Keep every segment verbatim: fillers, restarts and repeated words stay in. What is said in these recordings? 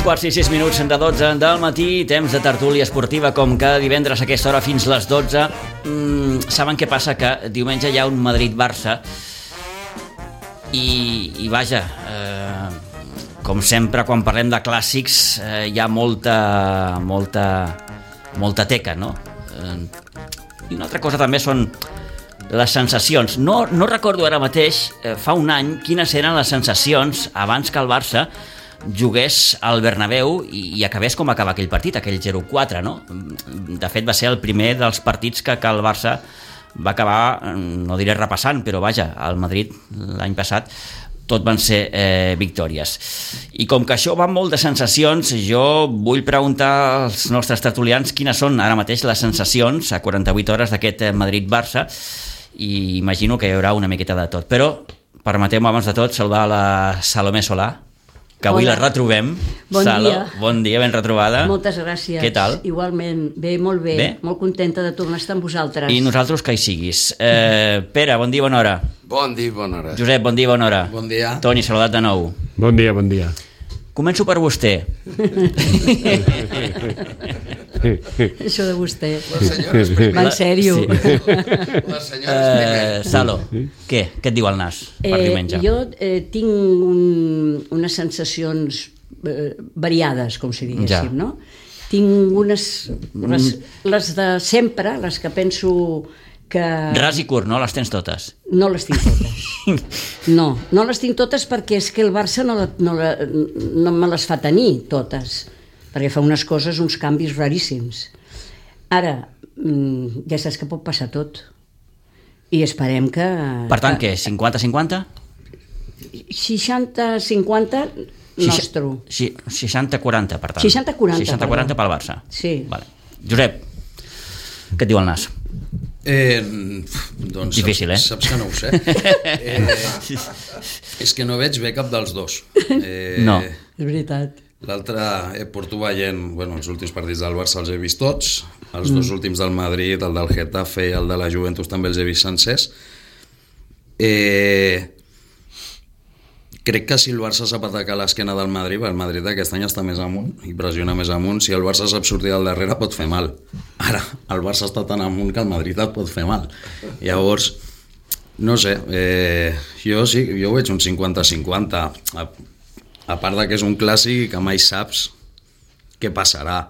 quarts i sis minuts de dotze del matí, temps de tertúlia esportiva com cada divendres a aquesta hora fins les dotze. Mm, saben què passa? Que diumenge hi ha un Madrid-Barça i, i vaja, eh, com sempre quan parlem de clàssics eh, hi ha molta, molta, molta teca, no? Eh, I una altra cosa també són les sensacions. No, no recordo ara mateix, eh, fa un any, quines eren les sensacions abans que el Barça jugués al Bernabéu i, i acabés com acaba aquell partit, aquell zero quatre, no? De fet, va ser el primer dels partits que, que el Barça va acabar, no diré repassant, però vaja, al Madrid l'any passat tot van ser eh, victòries. I com que això va molt de sensacions, jo vull preguntar als nostres tertulians quines són ara mateix les sensacions a quaranta-vuit hores d'aquest Madrid-Barça, i imagino que hi haurà una miqueta de tot. Però permeteu-me abans de tot saludar la Salomé Solà, que avui Hola. La retrobem. Bon Salo, dia. Bon dia, ben retrobada. Moltes gràcies. Què tal? Igualment, bé, molt bé. bé. Molt contenta de tornar a estar amb vosaltres. I nosaltres que hi siguis. Eh, Pere, bon dia, bona hora. Bon dia, bona hora. Josep, bon dia, bona hora. Bon dia. Toni, saludat de nou. Bon dia, bon dia. Començo per vostè. Això de vostè. Les senyores primer. Va en sèrio. Sí. Les senyores primer. Eh, Salo, què? Què et diu el nas per Eh, diumenge? jo eh, tinc un, unes sensacions eh, variades, com si diguéssim, Ja. no? Tinc unes... Les, les de sempre, les que penso que... Ras i curt, no? Les tens totes. No les tinc totes. No, no les tinc totes perquè és que el Barça no, la, no, la, no me les fa tenir totes, perquè fa unes coses, uns canvis raríssims. Ara, ja saps que pot passar tot. I esperem que... Per tant, què? cinquanta cinquanta? seixanta cinquanta nostre. seixanta quaranta, per tant. seixanta quaranta, seixanta quaranta pel Barça. Sí. Vale. Josep, què et diu el nas? Eh, doncs Difícil, saps, eh? saps que no ho sé. Eh, és que no veig bé cap dels dos. Eh, No. És veritat. L'altre, eh, porto veient, bueno, els últims partits del Barça els he vist tots, els mm. dos últims del Madrid, el del Getafe i el de la Juventus també els he vist sencers. Eh, crec que si el Barça sap atacar l'esquena del Madrid, el Madrid aquest any està més amunt i pressiona més amunt. Si el Barça sap sortir del darrere pot fer mal. Ara, el Barça està tan amunt que el Madrid et pot fer mal. Llavors, no sé, eh, jo sí, jo veig un cinquanta cinquanta, a, a part de que és un clàssic i que mai saps què passarà.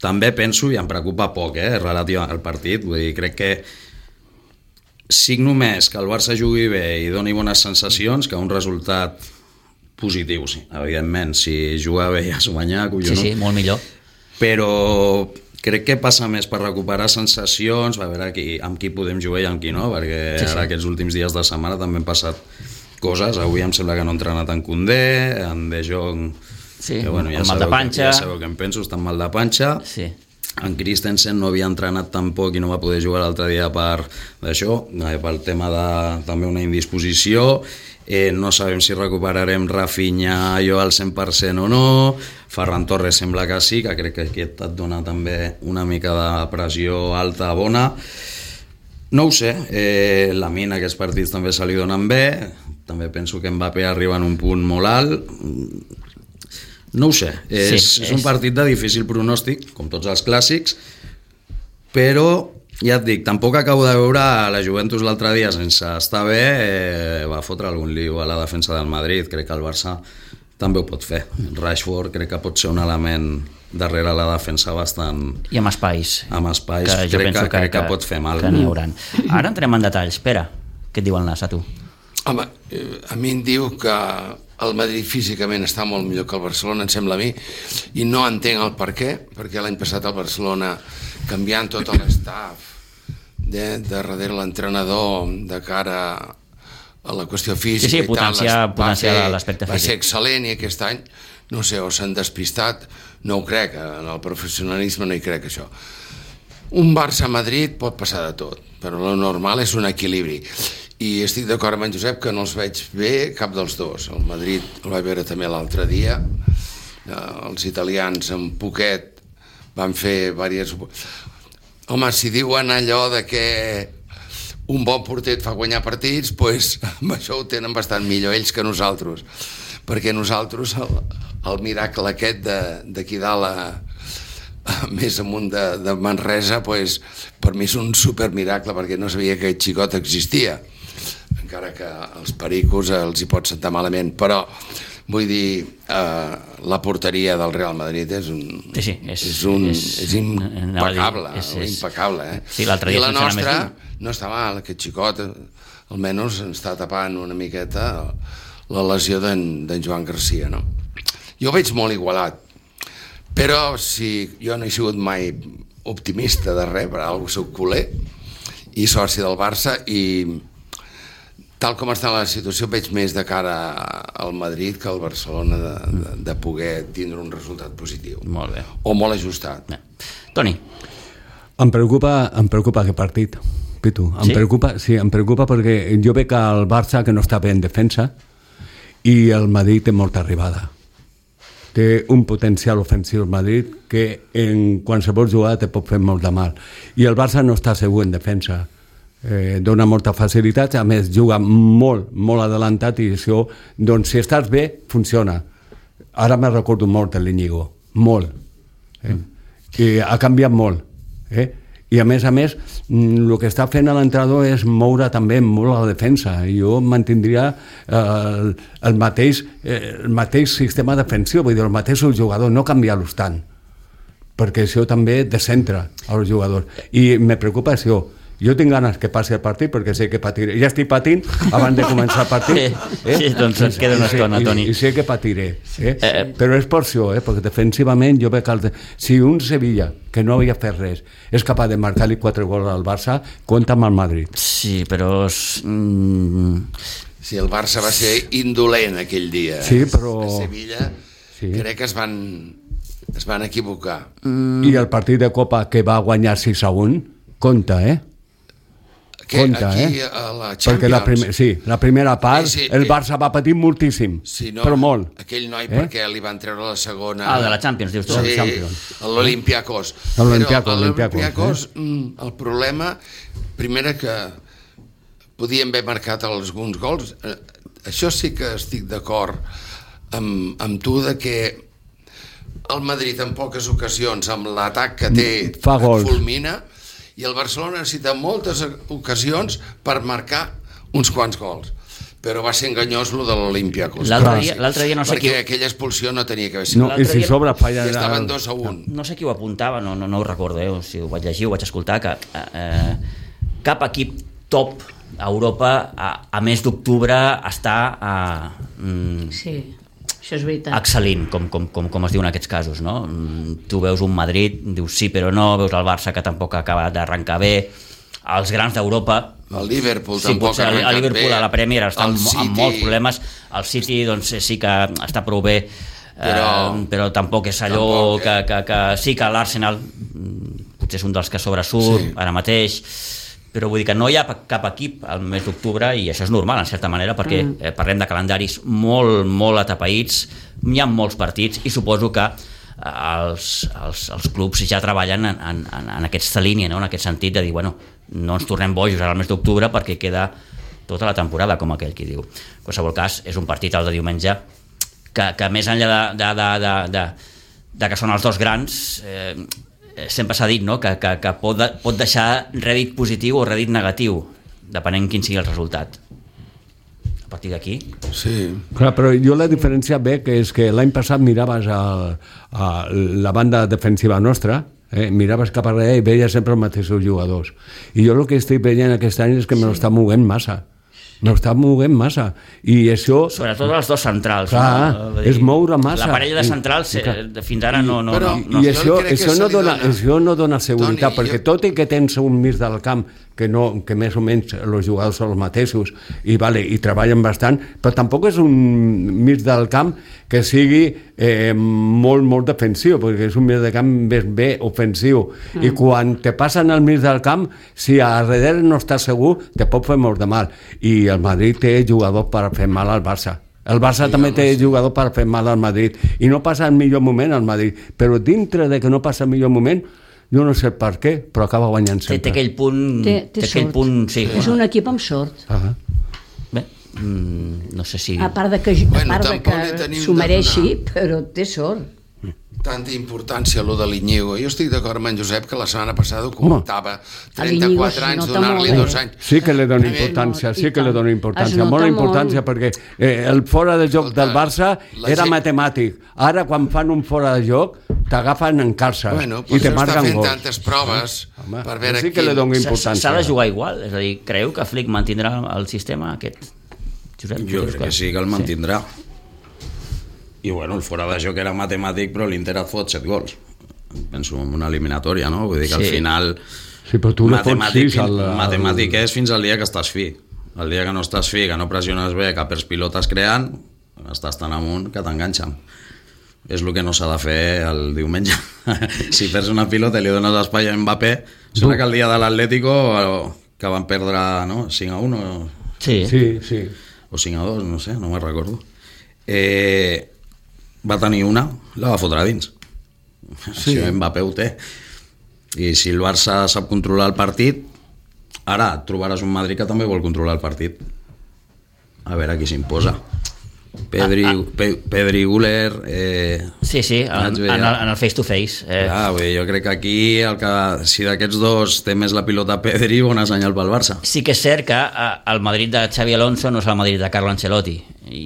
També penso, i em preocupa poc, eh, relatiu al partit, vull dir, crec que signo més que el Barça jugui bé i doni bones sensacions que un resultat positiu, sí. Evidentment, si juga bé ja s'ho guanyar, collonut. Sí, sí, molt millor. Però crec que passa més per recuperar sensacions, a veure qui, amb qui podem jugar i amb qui no, perquè sí, sí. Ara aquests últims dies de setmana també han passat coses. Avui em sembla que no ha entrenat en Koundé, en De Jong, sí, que, bueno, ja mal de panxa. Que, ja sabeu què em penso, està mal de panxa. Sí. En Christensen no havia entrenat tampoc i no va poder jugar l'altre dia per això, pel tema de també una indisposició. Eh, no sabem si recuperarem Rafinha jo al cent per cent o no. Ferran Torres sembla que sí, que crec que aquest et dona també una mica de pressió alta bona. No ho sé, eh, la mina aquests partits també se li donen bé, també penso que Mbappé arriba en un punt molt alt. No ho sé, és, sí, és un partit de difícil pronòstic, com tots els clàssics, però ja et dic, tampoc acabo de veure la Juventus l'altre dia sense estar bé, eh, va fotre algun lío a la defensa del Madrid. Crec que el Barça també ho pot fer. Rashford crec que pot ser un element darrere la defensa bastant... I amb espais. Amb espais, que crec, que, que, crec que, que pot fer mal. Que n'hi hauran. Ara entrem en detalls. Pere, què et diu el nas a tu? Home, a mi em diu que el Madrid físicament està molt millor que el Barcelona, em sembla a mi, i no entenc el per què, perquè l'any passat el Barcelona, canviant tot l'estaf de, de darrere l'entrenador de cara a la qüestió física, sí, sí, potenciar, i tal, potenciar l'aspecte físic. Va ser excel·lent, i aquest any, no sé, o s'han despistat, no ho crec, en el professionalisme no hi crec, això. Un Barça-Madrid pot passar de tot, però el normal és un equilibri. I estic d'acord amb en Josep que no els veig bé cap dels dos. El Madrid el vaig veure també l'altre dia, els italians en poquet van fer diverses... Home, si diuen allò de que un bon porter et fa guanyar partits, doncs amb això ho tenen bastant millor ells que nosaltres. perquè nosaltres el, el miracle aquest d'aquí dalt a, a, més amunt de, de Manresa, pues, per mi és un supermiracle, perquè no sabia que aquest xicot existia, encara que als pericos els hi pot sentar malament, però vull dir, eh, la porteria del Real Madrid és un, sí, sí, és, és, un, és, és impecable, és, és, impecable, eh? Sí, l'altre dia i la nostra no està mal, aquest xicot almenys ens està tapant una miqueta la lesió d'en Joan Garcia, no? Jo ho veig molt igualat, però si jo no he sigut mai optimista de res, per alguna cosa soc culer i soci del Barça, i tal com està la situació veig més de cara al Madrid que al Barcelona de, de, de poder tindre un resultat positiu. Molt bé. O molt ajustat. Bé. Toni. Em preocupa, em preocupa aquest partit, Pitu. Em sí? preocupa, sí, em preocupa perquè jo veig el Barça que no està bé en defensa i el Madrid té molta arribada. Té un potencial ofensiu el Madrid que en qualsevol jugada te pot fer molt de mal. I el Barça no està segur en defensa. Eh, dona molta facilitat, a més juga molt, molt adelantat i això, doncs si estàs bé, funciona. Ara me recordo molt de l'Iñigo, molt. Eh? I ha canviat molt. Eh? I a més a més, el que està fent l'entrenador és moure també molt la defensa. Jo mantindria eh, el, el, mateix, eh, el mateix sistema defensiu, vull dir, el mateix jugador, no canviar-los tant, perquè això també descentra els jugadors. I me preocupa això. Jo tinc ganes que passi el partit perquè sé que patiré. Ja estic patint abans de començar el partit. Sí, eh? sí doncs et queda una estona, Toni. I, i sé que patiré. Eh? Eh, Però és per això, eh? Perquè defensivament jo veig que el... si un Sevilla, que no havia fet res, és capaç de marcar-li quatre gols al Barça, compta amb el Madrid. Sí, però... Mm... Sí, el Barça va ser indolent aquell dia. Sí, però... A Sevilla sí. Crec que es van, es van equivocar. Mm. I el partit de Copa que va guanyar sis a un, compta, eh? Que compta, aquí eh? a la Champions... Perquè la, prim sí, la primera part sí, sí, el eh, Barça va patir moltíssim, sí, no, però molt. Aquell noi, eh? Perquè li van treure la segona... Ah, de la Champions, dius tu. Sí, l'Olimpiakos. L'Olimpiakos, l'Olimpiakos, eh? El problema, primera que podien haver marcat alguns gols. Això sí que estic d'acord amb, amb tu, de que el Madrid en poques ocasions, amb l'atac que té, fa gols, fulmina, i el Barcelona necessita moltes ocasions per marcar uns quants gols, però va ser enganyós lo de l'Olimpiakos. L'altre dia, dia no sé perquè qui... aquella expulsió no tenia que haver sigut. No, i si sobre falla... Estaven dos a un. No, no sé qui ho apuntava, no, no, no ho recordo, eh? Si ho vaig llegir, ho vaig escoltar, que eh, cap equip top a Europa a, a mes d'octubre està a... Mm, sí. Això és veritat. Excel·lint, com, com, com, com es diu en aquests casos, no? Tu veus un Madrid, dius sí però no, veus el Barça que tampoc acaba d'arrencar bé, els grans d'Europa, el Liverpool sí, tampoc ha arrencat el Liverpool bé, a la Premier està amb, City... amb molts problemes, el City doncs sí que està prou bé, però, eh, però tampoc és allò tampoc, que, que, que sí que l'Arsenal potser és un dels que sobresurt sí. Ara mateix, però vull dir que no hi ha cap equip al mes d'octubre i això és normal en certa manera perquè mm. eh, parlem de calendaris molt, molt atapeïts, hi ha molts partits i suposo que eh, els, els, els clubs ja treballen en, en, en aquesta línia, no? En aquest sentit de dir, bueno, no ens tornem bojos ara al mes d'octubre perquè queda tota la temporada, com aquell qui diu. En qualsevol cas, és un partit el de diumenge que, que més enllà de, de, de, de, de, de que són els dos grans, eh, sempre s'ha dit, no? que, que, que pot, de, pot deixar rèdit positiu o rèdit negatiu, depenent quin sigui el resultat. A partir d'aquí... Sí. Clar, però jo la diferència ve que és que l'any passat miraves a, a la banda defensiva nostra, eh? Miraves cap a darrere i veies sempre els mateixos jugadors. I jo el que estic veient aquest any és que me l'està movent massa. No està movent massa i això... Sobretot els dos centrals, clar, no? És moure massa. La parella de centrals I, eh, fins ara no... no, però, no, no. I això, això, no dona, dona... això no dona seguretat, Toni, perquè jo... tot i que tens un mig del camp que, no, que més o menys els jugadors són els mateixos i, vale, i treballen bastant, però tampoc és un mig del camp que sigui eh, molt, molt defensiu, perquè és un mig del camp més bé ofensiu. Mm. I quan te passen al mig del camp, si a darrere no estàs segur, te pot fer molt de mal. I el Madrid té jugadors per fer mal al Barça. El Barça sí, també té sí. jugador per fer mal al Madrid. I no passa el millor moment al Madrid. Però dintre de que no passa el millor moment, jo no sé per què, però acaba guanyant sempre. Té, té aquell punt... Té, té, té aquell punt, sí. És un equip amb sort. Ah. Bé, mm, no sé si... A part de que, Bueno, a part de tampoc li que tenim s'ho de mereixi, donar. però té sort. Tanta importància a lo de l'Iñigo. Jo estic d'acord amb en Josep que la setmana passada ho comentava. trenta-quatre A l'Iñigo anys, es nota donar-li molt, dos eh? anys. Sí que li dona Primer- importància, sí I que li tant. dona Es importància, nota molta molt. importància, perquè eh, el fora de joc Escolta, del Barça la era gent- matemàtic. Ara, quan fan un fora de joc, t'agafen en calça Bueno, i per te això està marquen fent gols. tantes proves Home, per veure sí que li quin- dona S- importància. S'ha de jugar igual? És a dir, creu que Flick mantindrà el sistema aquest? Josep, Jo creus crec que sí que el mantindrà. I bueno, el fora de joc era matemàtic, però l'Inter et fot set gols. Penso en una eliminatòria, no? Vull dir que al Sí. final... Sí, però tu no fots matemàtic, sis al... al... matemàtic és fins al dia que estàs fi. El dia que no estàs fi, que no pressiones bé, que perds pilotes creant, estàs tan amunt que t'enganxen. És el que no s'ha de fer el diumenge. Si perds una pilota i li dones espai a Mbappé, sembla que el dia de l'Atlético, que van perdre no, cinc a un o, Sí. Sí, sí. o cinc a dos, no sé, no me'n recordo. Eh, va tenir una, la va fotre a dins. Sí. Això Mbappé ho té. I si el Barça sap controlar el partit, ara et trobaràs un Madrid que també vol controlar el partit. A veure qui s'imposa. Pedri, Ah, ah. Pe, Pedri Guller... Eh, Sí, sí, en, vaig en, veure. el, en el face-to-face. Eh, ah, vull dir, jo crec que aquí, el que, si d'aquests dos té més la pilota Pedri, bona senyal pel Barça. Sí que és cert que eh, el Madrid de Xavi Alonso no és el Madrid de Carlo Ancelotti. I,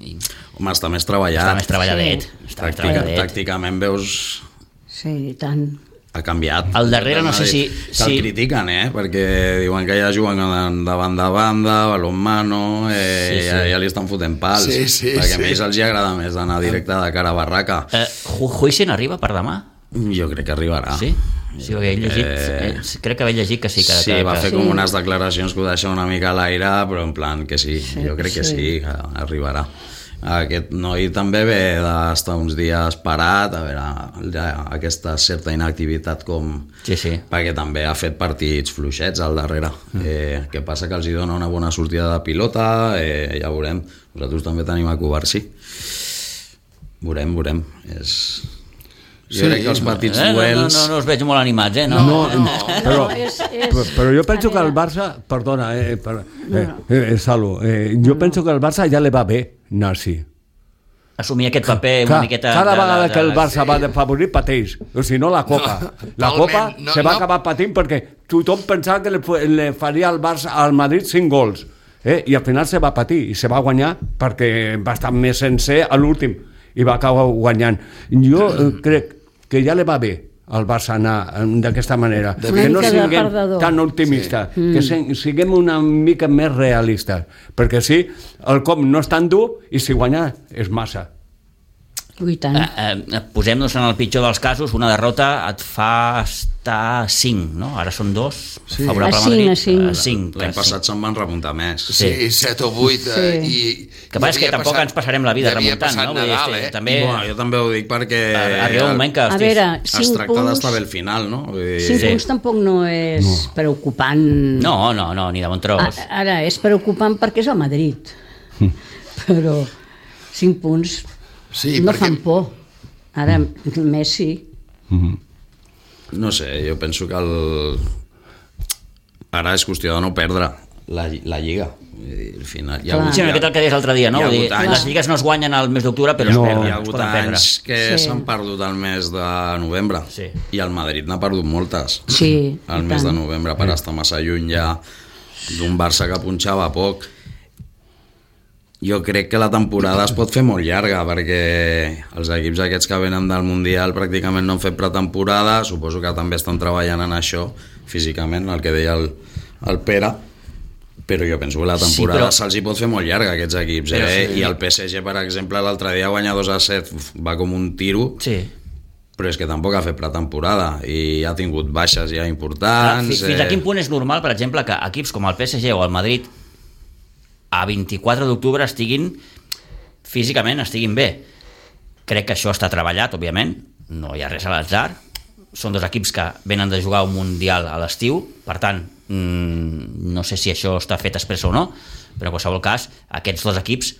i Home, està més treballat. està més treballadet. Sí. Està més Tàctica, treballadet. tàcticament veus... Sí, i tant. Ha canviat. Al darrere no sé si- Que si- el critiquen, eh? Perquè diuen que ja juguen de, de banda a banda, balonmano, eh, Sí, sí. Ja, ja li estan fotent pals. Sí, sí, perquè sí. a ells els hi agrada més anar directe de cara a barraca. Eh, Hu- Huijsen arriba per demà? Jo crec que arribarà. Sí? Sí, perquè he llegit, eh, crec que he llegit que sí. Que, Sí, que, va que, fer sí. com unes declaracions que ho deixen una mica a l'aire, però en plan que sí, Sí, jo crec que sí. sí, que arribarà. Aquest noi també ve d'estar uns dies parat, a veure, ja, aquesta certa inactivitat com... Sí, sí. Perquè també ha fet partits fluixets al darrere. Mm. Eh, què passa? Que els hi dona una bona sortida de pilota, eh, ja veurem. Nosaltres també tenim a Covarsí. Veurem, veurem. És... Jo Sí, crec que els petits eh, no, no, duels... no, no us veig molt animats, eh? No, No, no. però, No, és- és- però, però jo penso a que el veure. Barça, perdona, eh, per, eh, eh, Salu, eh, jo penso que el Barça ja li va bé anar així. Assumir aquest paper una Clar, miqueta... cada de- de- vegada de- que el Barça sí. va de favorit pateix, o si no la Copa. No, La totalment, Copa no, se va no. acabar patint perquè tothom pensava que li, fu- li faria al Barça al Madrid cinc gols, eh? I al final se va patir i se va guanyar perquè va estar més sencer a l'últim i va acabar guanyant. Jo eh, crec que ja li va bé al Barça anar eh, d'aquesta manera, De que no mica de siguem perdedor. tan optimistes, sí. que se- siguem una mica més realistes, perquè sí, el com no és tan dur i si guanyar és massa. I tant. Eh, eh, posem-nos en el pitjor dels casos, una derrota et fa estar a cinc, no? Ara són dos, Sí. favorable A al cinc, Madrid. a cinc. A cinc, L'any a passat cinc. se'n van remuntar més. Sí, Sí. set o vuit. Eh, Sí. i, Que passa és que i havia tampoc passat- ens passarem la vida i havia remuntant, passat no? Vull dir, Nadal, este- eh? també- Bueno, jo també ho dic perquè Arriba un moment que... A hòsties, veure, es cinc tracta punts, d'estar bé al final, no? Vull dir, cinc Sí. punts tampoc no és no. preocupant. No, no, no, ni de bon tros. A- Ara, és preocupant perquè és el Madrid. Però cinc punts Sí, no perquè- fan por. Ara, Messi... No sé, jo penso que el... ara és qüestió de no perdre la, la Lliga. Vull dir, al final, hi ha, Clar. hagut, Sí, una miqueta el que deies l'altre dia, no? Hi ha Vull dir, hagut anys- les lligues no es guanyen al mes d'octubre, però No. es hi perden, ha es hagut poden perdre. anys que Sí. s'han perdut el mes de novembre Sí. i el Madrid n'ha perdut moltes. Sí, El i mes tant. de novembre per estar massa lluny ja d'un Barça que punxava poc. Jo crec que la temporada es pot fer molt llarga perquè els equips aquests que venen del Mundial pràcticament no han fet pretemporada, suposo que també estan treballant en això físicament, el que deia el, el Pere, però jo penso que la temporada Sí, però- se'ls hi pot fer molt llarga a aquests equips, Però eh? sí. I el P S G, per exemple, l'altre dia guanya dos a set, uf, va com un tiro, Sí. però és que tampoc ha fet pretemporada i ha tingut baixes ja Clar, importants. fi- fins a eh, quin punt és normal, per exemple, que equips com el P S G o el Madrid a vint-i-quatre d'octubre estiguin físicament estiguin bé? Crec que això està treballat, òbviament, no hi ha res a l'atzar, són dos equips que venen de jugar un Mundial a l'estiu, per tant, mmm, no sé si això està fet expressa o no, però en qualsevol cas, aquests dos equips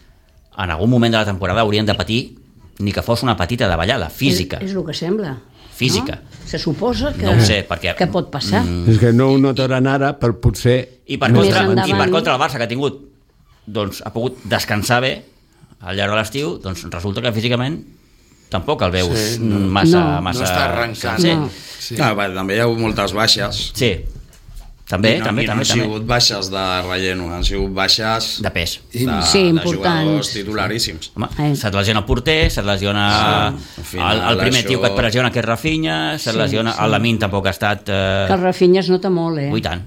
en algun moment de la temporada haurien de patir ni que fos una petita davallada, física. És, és el que sembla. Física. No? Se suposa que, No ho sé, perquè- que pot passar. Mm. És que no ho notaran ara, però potser... I per, Més contra, endavant. I per contra el Barça, que ha tingut doncs, ha pogut descansar bé al llarg de l'estiu, doncs resulta que físicament tampoc el veus Sí, no. massa, No. massa... No està arrencant. Sí, No. Sí. Ah, va, també hi ha hagut moltes baixes. sí. També, I no, també, i no també, han també. sigut baixes de relleno, han sigut baixes De pes. de, Sí, de importants. jugadors titularíssims. Home, Eh. se't lesiona el porter, se't lesiona Sí, al final el, el primer això- tio que et pressiona, que és Rafinha, se't Sí, lesiona... sí. El Lamine tampoc ha estat... Eh... Que el Rafinha es nota molt, eh? Ui, tant.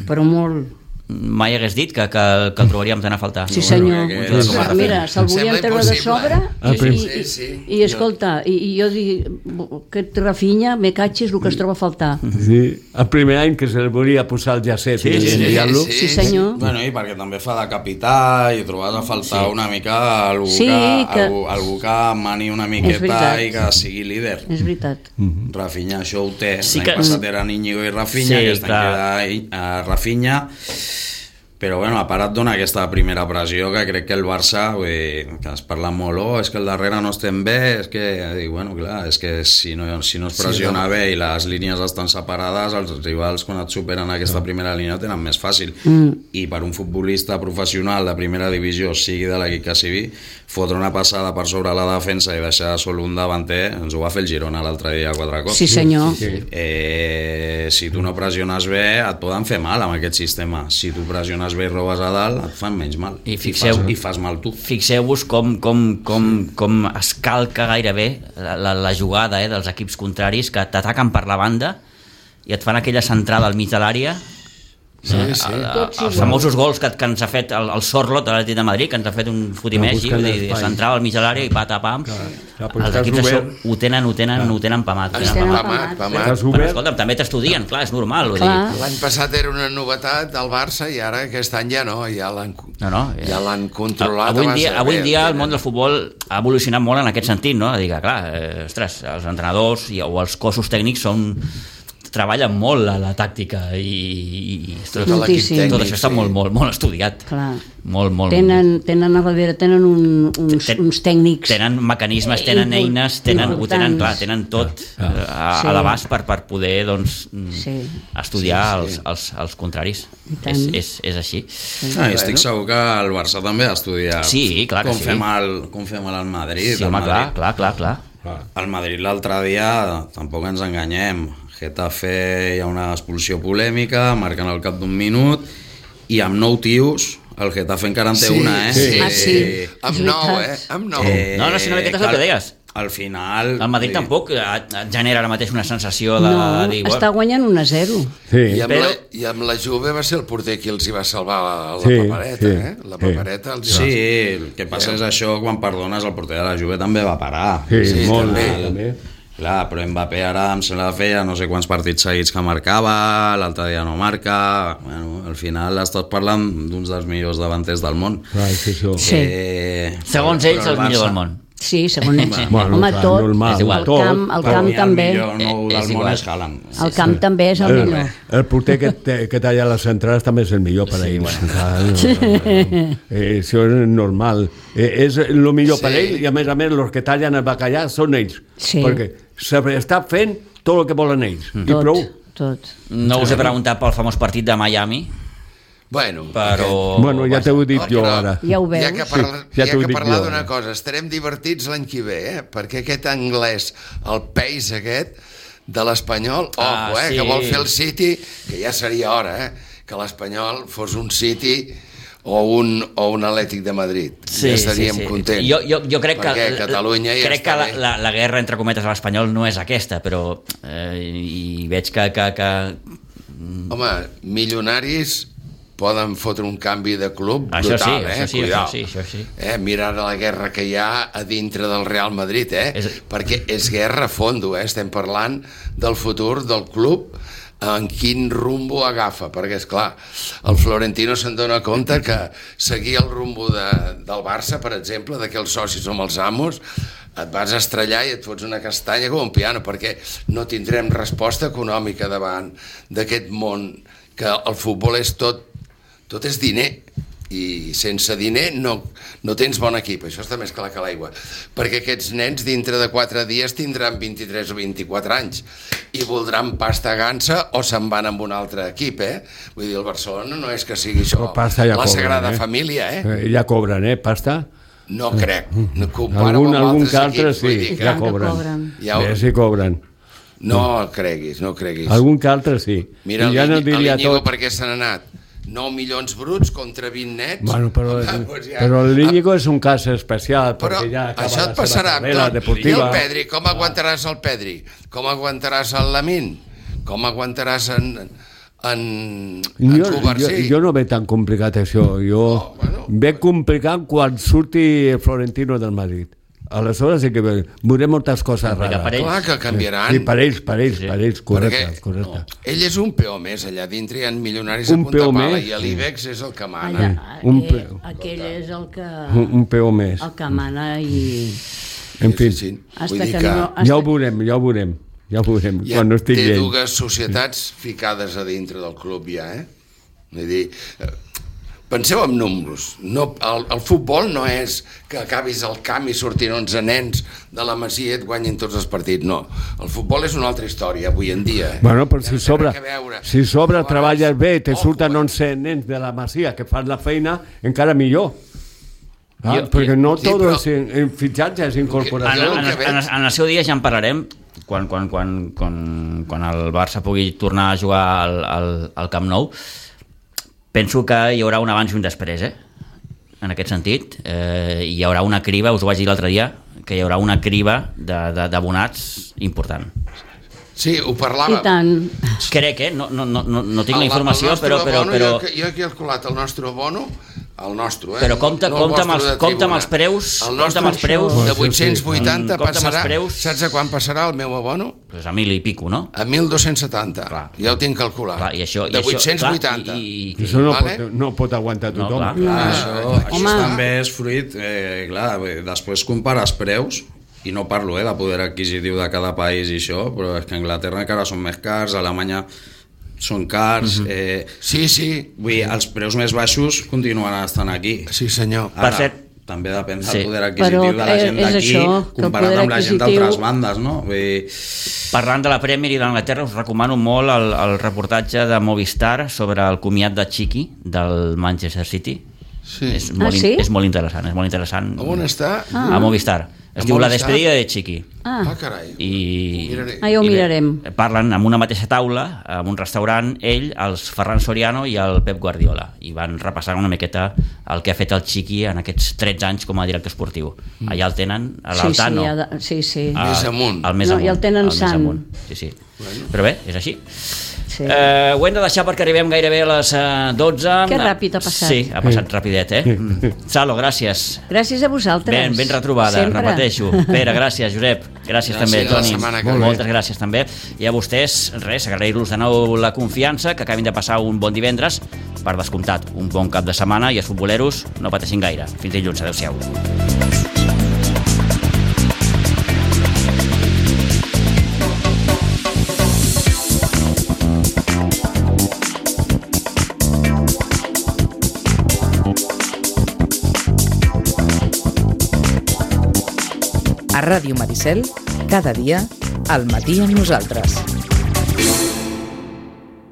Però molt. Mai hagués dit que, que, que el trobaríem tant a faltar. Sí, senyor. que- que- Sí, que- mira, se'l volien Sembla treure de impossible. sobre Ah, i, prim- i, Sí, sí. i, i escolta, i, i jo dic, aquest Rafinha, me catxis el que es troba a faltar. Sí, el primer any que se li volia posar el llacet Sí, i sí, sí, enviar-lo. Sí, senyor. Bueno, i perquè també fa de capità i trobes a faltar Sí. una mica algú, Sí, que, que- algú, algú que mani una miqueta veritat. i que sigui líder. És veritat. Rafinha això ho té. Sí L'any que- passat eren Íñigo i Rafinha, Sí, aquest any clar. queda uh, Rafinha. Però bueno, a part et dona aquesta primera pressió que crec que el Barça, vull dir, que es parla molt, oh, és que el darrere no estem bé, és que, dic, bueno, clar, és que si no, si no es pressiona Sí, no. bé i les línies estan separades, els rivals quan et superen aquesta primera línia ho tenen més fàcil. Mm. I per un futbolista professional de primera divisió, sigui de l'equip que sigui, fotre una passada per sobre la defensa i deixar sol un davanter, ens ho va fer el Girona l'altre dia quatre cops. Sí, senyor. Eh, si tu no pressiones bé et poden fer mal amb aquest sistema. Si tu pressiones bé i robes a dalt et fan menys mal I fixeu- I, fas, i fas mal tu. Fixeu-vos com, com, com, com es calca gairebé la, la, la jugada eh, dels equips contraris que t'ataquen per la banda i et fan aquella centrada al mig de l'àrea. Sí, Eh, sí. el- Tots els igual. famosos gols que, que ens ha fet el, el Sorlot de l'Atlètic de Madrid, que ens ha fet un fotimeix, No, buscant vull dir, espai. s'entrava al mig de l'àrea i pata pam. clar, Els però estàs equips això obert. ho tenen, ho tenen, ho tenen pamat. ho Els tenen tenen pamat. Pamat, pamat. Estàs Però, obert? escolta'm, també t'estudien, clar, és normal. Vull Clar. dir, L'any passat era una novetat del Barça i ara aquest any ja no, ja l'han No, no, ja. ja l'han controlat. Avui en abans dia, de avui en res, dia el tenen. món del futbol ha evolucionat molt en aquest sentit, no? Dir que, clar, eh, ostres, els entrenadors i, o els cossos tècnics són treballen molt a la tàctica i, i tot, Tot l'equip Moltíssim. tècnic, tot això està sí. molt, molt, molt estudiat. Clar. Molt, molt. Tenen, tenen a darrere, tenen un, uns, Ten- uns tècnics. Tenen mecanismes, tenen Import- eines, tenen, ho tenen, importants. clar, tenen tot eh, a, Sí. a l'abast per, per poder doncs, mm, Sí. estudiar Sí, sí. Els, els, els contraris. I tant. És, és, és així. Ah, estic segur que el Barça també ha estudiat Sí, clar que com, sí. fem el, com fem el Madrid. Sí, el home, clar, Madrid. clar, clar, clar. El Madrid l'altre dia, tampoc ens enganyem, Getafe hi ha una expulsió polèmica, marquen al cap d'un minut, i amb nou tios, el Getafe encara en té Sí, una, eh? sí. Ah, sí. Amb És nou, eh? veritat. Amb nou. No, no, si no, aquest és el cal- que deies. Al final... El Madrid vull dir, tampoc et et genera ara mateix una sensació de, No, de dir... està guanyant un a zero. Sí. I amb, Però- la, I amb la Juve va ser el porter qui els hi va salvar la, la Sí, papereta, sí, eh? La sí. papereta els hi va... Sí, el que passa és això, quan perdones, el porter de la Juve també va parar. Sí, Sí, molt, també. també. Clar, però Mbappé ara em sembla que feia no sé quants partits seguits que marcava, l'altre dia no marca... Bueno, al final estàs parlant d'uns dels millors davanters del món. Clar, és això. Sí. Eh, Segons però ells, el el millor Barça- del món. Sí, segons ells. Bueno, Home, clar, tot. normal, És igual. El tot. camp, el Per camp mi també. el millor nou Eh, és del món igual. és Haaland. El camp també és el El, millor. el porter que, te, que talla les centrals també és el millor per a ells. Clar, no, no, no. Eh, això és normal. Eh, és el millor Sí. per ell i a més a més els que tallen el bacallà són ells. Sí. Perquè s'està fent tot el que volen ells. I Tot, prou. tot. No us he preguntat pel famós partit de Miami, Bueno, però... Bueno, ja t'ho he dit No, jo però ara. Ja ho veus. Hi ha que, parla, Sí, ja hi ha t'ho que dic parlar jo. d'una cosa, estarem divertits l'any que ve, eh? Perquè aquest anglès, el pace aquest de l'Espanyol, Ah, ojo, eh? sí. Que vol fer el City, que ja seria hora, eh? Que l'Espanyol fos un City o un, o un Atlètic de Madrid. Ja estaríem contents. Jo, jo, jo crec Perquè que, Catalunya ja crec està que la, bé. la, la guerra entre cometes a l'Espanyol no és aquesta, però eh, i veig que, que, que Home, milionaris poden fotre un canvi de club Això sí, brutal, eh? això sí, Cuidao. això sí, això sí. Eh? Mira la guerra que hi ha a dintre del Real Madrid, eh? És- Perquè és guerra a fondo, eh? Estem parlant del futur del club, en quin rumbo agafa, perquè és clar, el Florentino se'n dona compte que seguir el rumbo de, del Barça, per exemple, de que els socis som els amos, et vas estrellar i et fots una castanya com un piano, perquè no tindrem resposta econòmica davant d'aquest món, que el futbol és tot, tot és diner, i sense diner no, no tens bon equip, això està més clar que l'aigua, perquè aquests nens dintre de quatre dies tindran vint-i-tres o vint-i-quatre anys i voldran pasta gansa o se'n van amb un altre equip, eh? Vull dir, el Barcelona no és que sigui això ja la cobren, Sagrada eh? Família, eh? Ja cobren, eh, pasta? No crec, no comparo algun, amb algun altres altre, equips, sí, vull dir que... ja cobren. cobren. Ja ho... Bé, sí cobren. No creguis, no creguis. Algun que altre, sí. Mira, I ja no diria l'Iñigo tot. per què se n'ha anat? nou milions bruts contra vint nets. Bueno, però, ah, doncs ja... però l'Iñigo és un cas especial, però perquè ja acaba això et la passarà seva carrera tot. deportiva. I el Pedri, com aguantaràs el Pedri? Com aguantaràs el Lamin? Com aguantaràs en, en, en Jo, jo, Covarsí? jo no veig tan complicat això. Jo Oh, bueno. veig complicat quan surti el Florentino del Madrid. Aleshores sí que veurem moltes coses Complicat per rares. ells. Clar que canviaran. Sí, per ells, per ells, Sí. per ells, correcte, Perquè correcte. ell és un peó més, allà dintre hi ha milionaris Un a punta peó pala més, i l'Ibex és el que mana. Allà, un eh, peu. aquell és el que, Un, un peó més. el que mana i... En fi, Sí, sí. Hasta Vull dir que que no... ja ho veurem, ja ho veurem. Ja ho veurem, ja quan no estigui té ell. dues societats ficades a dintre del club ja, eh? Vull dir, eh, penseu en números. No, el, el futbol no és que acabis al camp i sortin onze nens de la Masia i et guanyin tots els partits, no. El futbol és una altra història avui en dia. Eh? Bueno, però Ja si no té sobre, res a veure. si sobre Llavors, treballes bé, te ojo, surten eh? onze nens de la Masia que fan la feina, encara millor. Ah, Jo- perquè no sí, tot però- és en, en fitxatge, és En, incorporació. en, en, en, en el seu dia ja en parlarem quan, quan, quan, quan, quan el Barça pugui tornar a jugar al, al, al Camp Nou. Penso que hi haurà un abans i un després, eh? En aquest sentit. Eh, hi haurà una criba, us ho vaig dir l'altre dia, que hi haurà una criba d'abonats important. Sí, ho I parlàvem. tant. Crec, eh? No, no, no, no no tinc El- la informació, el nostre però... però, abono, però... Jo, jo he calculat el nostre abono, el nostre, eh? Però compte- no el compte amb els- vostre de compte amb tribuna. els preus, El compte nostre amb els preus. de vuit-cents vuitanta Mm, compte amb els passarà... preus. Saps a quan passarà el meu abono? Pues a mil i pico, no? A mil dos-cents setanta. Clar. Ja ho tinc calculat. Clar, i això, i de això, vuit-cents vuitanta. clar, i, i, Això no, Vale. pot, no pot aguantar No, tothom. clar. Clar, Ah, això, aquí això està. també és fruit, eh, clar, bé, després compares preus, i no parlo eh, de poder adquisitiu de cada país i això, però és que a Anglaterra encara són més cars, a Alemanya són cars, Mhm. eh, Sí, sí. vull dir, els preus més baixos continuaran estant aquí. Sí, senyor. Per cert, també depèn del sí. poder adquisitiu Però de la gent és d'aquí això, que el comparat poder amb la gent adquisitiu- d'altres bandes, no? Vull dir, Parlant de la Premier i d'Anglaterra, us recomano molt el, el reportatge de Movistar sobre el comiat de Chiqui del Manchester City. Sí. És molt, Ah, sí? in- és molt interessant, és molt interessant. A on està? A Movistar. Es A diu La Movistar? despedida de Chiqui. Ah, Ah, carai. I, Miraré. ah, ja ho i bé, mirarem. parlen amb una mateixa taula, en un restaurant, ell, els Ferran Soriano i el Pep Guardiola, i van repassar una miqueta el que ha fet el Chiqui en aquests tretze anys com a director esportiu. Allà el tenen, a sí, sí, l'Altano. ha de, sí, sí. a- Més amunt. al més No, amunt. i el tenen al més sant. amunt. Sí, sí. Però bé, és així. sí. Eh, ho hem de deixar perquè arribem gairebé a les eh, dotze. Que ràpid ha passat. Sí, ha passat rapidet, eh? Salo, gràcies. Gràcies a vosaltres. Ben, ben retrobada, Sempre. repeteixo. Pere, gràcies, Josep. Gràcies, Gràcies, també, la Toni. setmana que Moltes ve. gràcies també. I a vostès, res, agrair-los de nou la confiança, que acabin de passar un bon divendres, per descomptat, un bon cap de setmana, i els futboleros no pateixin gaire. Fins dilluns, adeu-siau. A Ràdio Maricel, cada dia, al matí amb nosaltres.